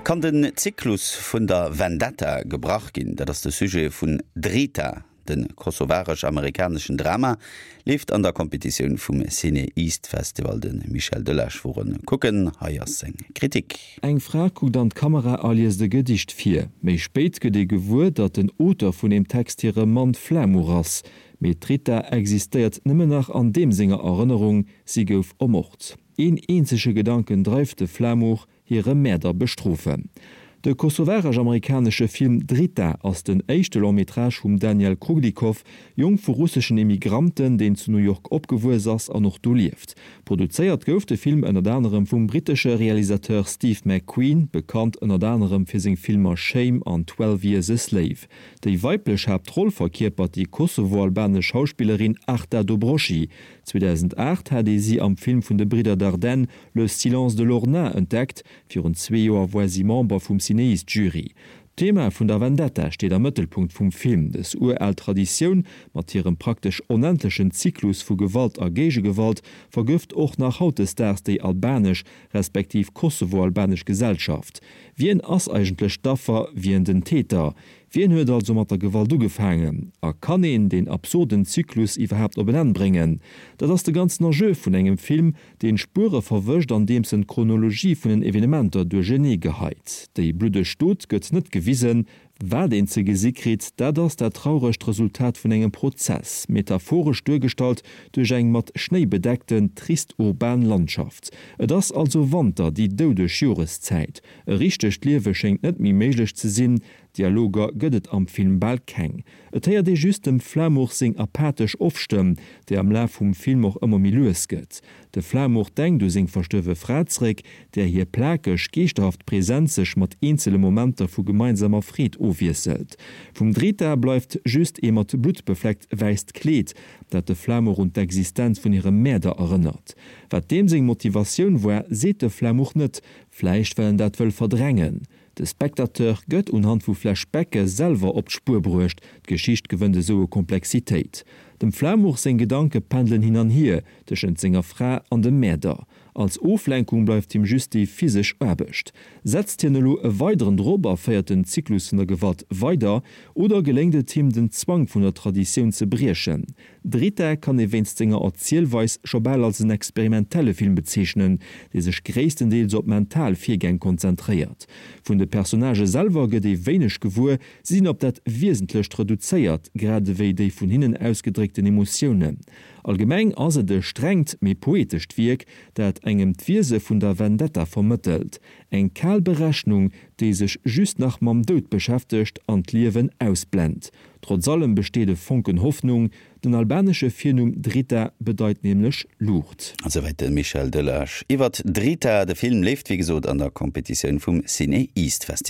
Kann den Zyklus vun der Vendetta gebrach ginn? Dat ass de Sujet vun Drita. De kosovaresch-amerikaneschen Drama leeft an der Competitioun vum CinEast Festival. De Michel Delage wor en kucken, hei ass seng Kritik. Eng Fra kuckt an d'Kamera a liest e Gedicht vir. Méi spéit gëtt ee gewuer, datt den Auteur vun deem Text hire Mann Flamur ass. Mee d'Rita existéiert nëmmen nach an deem senger Erënnerung, si gouf ermort. Een eenzege Gedanken dreift de Flamur, hire Mäerder bestrofen. De kosovaresch-amerikanesche Film Drita ass den éischte Long-métrage vum Daniel Kruglikov, Jong vu russeschen Immigranten, deen zu New York opgewuess ass an och do lieft. Produzéiert gouf de Film ënnert anerem vum brittesche Realisateur Steve McQueen, bekannt ënnert anerem fir seng Filmer Shame an 12 Years a Slave. Déi weiblech Haaptroll verkierpert déi kosovo-albanesch Schauspillerin Arta Dobroshi. 2008 hat ee si am Film vun de Bridder Dardenne Le silence de Lorna entdeckt, virun zwee Joer woar si Member vum CinEast-Jury. D'Thema vun der Vendetta steet am Mëttelpunkt vum Film. Dës ural Traditioun, mat hirem praktesch onendlechen Zyklus vu Gewalt a Géigegewalt, vergëft och nach hautdesdaags déi albanesch, respektiv kosovo-albanesch Gesellschaft. Wien ass eigentlech d'Affer, wien den Täter? Wien huet also mat der Gewalt ugefaangen? A kann een deen absurden Zyklus iwwerhaapt op en Enn bréngen? Dat ass de ganzen Enjeu vun engem Film, deen d'Spuere verwëscht andeems en d'Chronologie vun den Evenementer duerchenee geheit. Déi bluddeg Dot gëtt net gewisen. Wat een ze gesi kritt, dat ass dat trauregt Resultat vun engem Prozess, metaphoresch duergestallt duerch eng mat Schnéi bedeckten, trist urban Landschaft. Et ass also Wanter, déi doudeg Joreszäit. E richtegt Liewe schéngt net méi méiglech ze sinn. Dialoger gëtt et am Film bal keng. Et héiert ee just dem Flamur seng apathesch Off-Stëmm, déi am Laf vum Film och ëmmer méi lues gëtt. De Flamur denkt u seng verstuerwe Fra zeréck, där hir plakeg, geeschterhaft Presenz sech mat eenzele Momenter vu gemeinsamer Freed ofwiesselt. Vum Drita bleift just ee mat Blutt befleckt wäisst Kleed, dat de Flamur un d'Existenz vun hirem Mäerder erënnert. Wat deem seng Motivatioun war, seet de Flamur net, vläicht well en dat wëll verdrängen. De Spectateur gëtt unhand vu Flashbacke selwer op d'Spuer bruecht, d'Geschicht gewënnt esou u Komplexitéit. Dem Flamur seng Gedanke pendelen hin an hier tëschent senger Fra an dem Mäerder. Als Oflenkung bleift him just déi physesch Aarbecht. Setzt hien elo e weideren drop a féiert den Zyklus vun der Gewalt weider, oder geléngt et him, den Zwang vun der Traditioun ze briechen? Drita kann ee wéinst senger Erzielweis scho bal als en experimentelle Film bezeechnen, dee sech gréisstendeels op mental Virgäng konzentréiert. Vun de Personnagë selwer gëtt ee wéineg gewuer, si sinn op dat Wiesentlecht reduzéiert, grad ewéi déi vun hinnen ausgedréckten Emotiounen. Allgemeng ass et e strengt, mee poetescht Wierk, dat engem d'Wiese vun der Vendetta vermëttelt, eng kal Berechnung, déi sech just nach mam Doud beschäftegt an d'Liewen ausblent. Trotz allem besteet e Fonken Hoffnung, den albanesche Virnumm Drita bedeit nämlech Luucht. Esouwäit de Michel Delage iwwert Drita. De Film leeft wéi gesot an der Competitioun vum CinEast Festival.